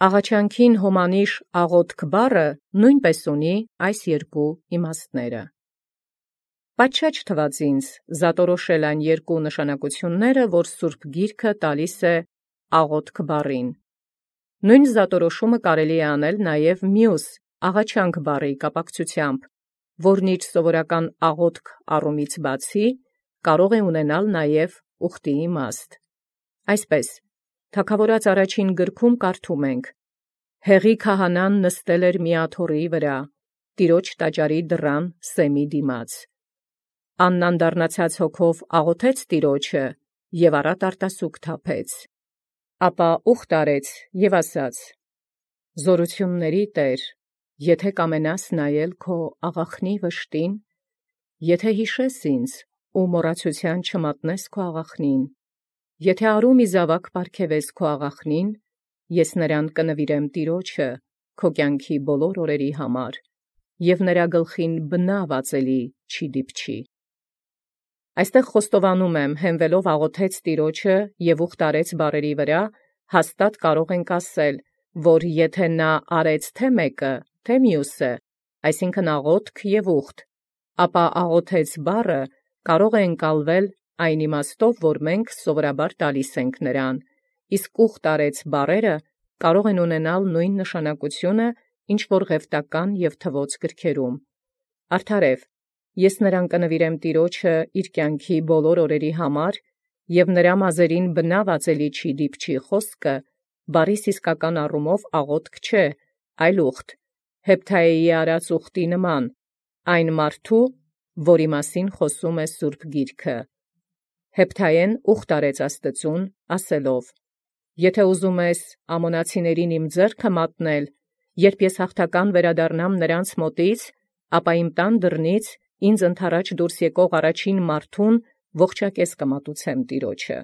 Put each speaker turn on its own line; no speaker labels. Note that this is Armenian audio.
Աղաչանքին հոմանիշ աղոթք բառը նույնպես ունի այս երկու իմաստները։ Պատշաճ թվաց ինձ զատորոշել այն երկու նշանակությունները, որ Սուրբ Գիրքը տալիս է աղոթք բառին։ Նույն զատորոշումը կարելի է անել նաև մյուս աղաչանք բառի կապակցությամբ, որն իր սովորական աղոթք առումից բացի կարող է ունենալ նաև ուխտի իմաստ։ Այսպես, Թագավորաց առաջին գրքում կարդում ենք. «Հեղի քահանան նստել էր մի աթոռի վրա, տիրոջ տաճարի դռան սեմի դիմաց։ Աննան դառնացած հոգով աղոթեց տիրոջը և առատ արտասուք թափեց։ Ապա ուխտ արեց և ասաց. «Զորությունների Տեր, եթե կամենաս նայել քո աղախնի վշտին, եթե հիշես ինձ ու մոռացութեան չմատնես քո աղախնին, եթե արու մի զաւակ պարգևես քո աղախնին, ես նրան կնվիրեմ տիրոջը քո կյանքի բոլոր օրերի համար, և նրա գլխին բնաւ ածելի չի դիպչի»։ Այստեղ խոստովանում եմ, հենվելով աղոթեց տիրոջը և ուխտ արեց բառերի վրա, հաստատ կարող ենք ասել, որ եթե նա արեց թե մեկը, թե մյուսը, այսինքն աղոթք և ուխտ, ապա աղոթեց բառը կարող է ընկալվել այն իմաստով, որ մենք սովորաբար տալիս ենք նրան, իսկ ուխտ արեց բառերը կարող են ունենալ նույն նշանակությունը, ինչ որ ղևտական և թվոց գրքերում։ Արդարև, ես նրան կնվիրեմ տիրոջը իր կյանքի բոլոր օրերի համար, և նրա մազերին բնաւ ածելի չի դիպչի խոսքը, բառիս իսկական առումով աղոթք չէ, այլ ուխտ, Հեփթայեի արած ուխտի նման, այն մարդու, որի մասին խոսում է Սուրբ Գիրքը։ Հեփթայեն ուխտ արեց Աստծուն, ասելով. «Եթե ուզում ես ամոնացիներին իմ ձեռքը մատնել, երբ ես հաղթական վերադառնամ նրանց մոտից, ապա իմ տան դռնից ինձ ընդառաջ դուրս եկող առաջին մարդուն ողջակեզ կմատուցեմ տիրոջը»։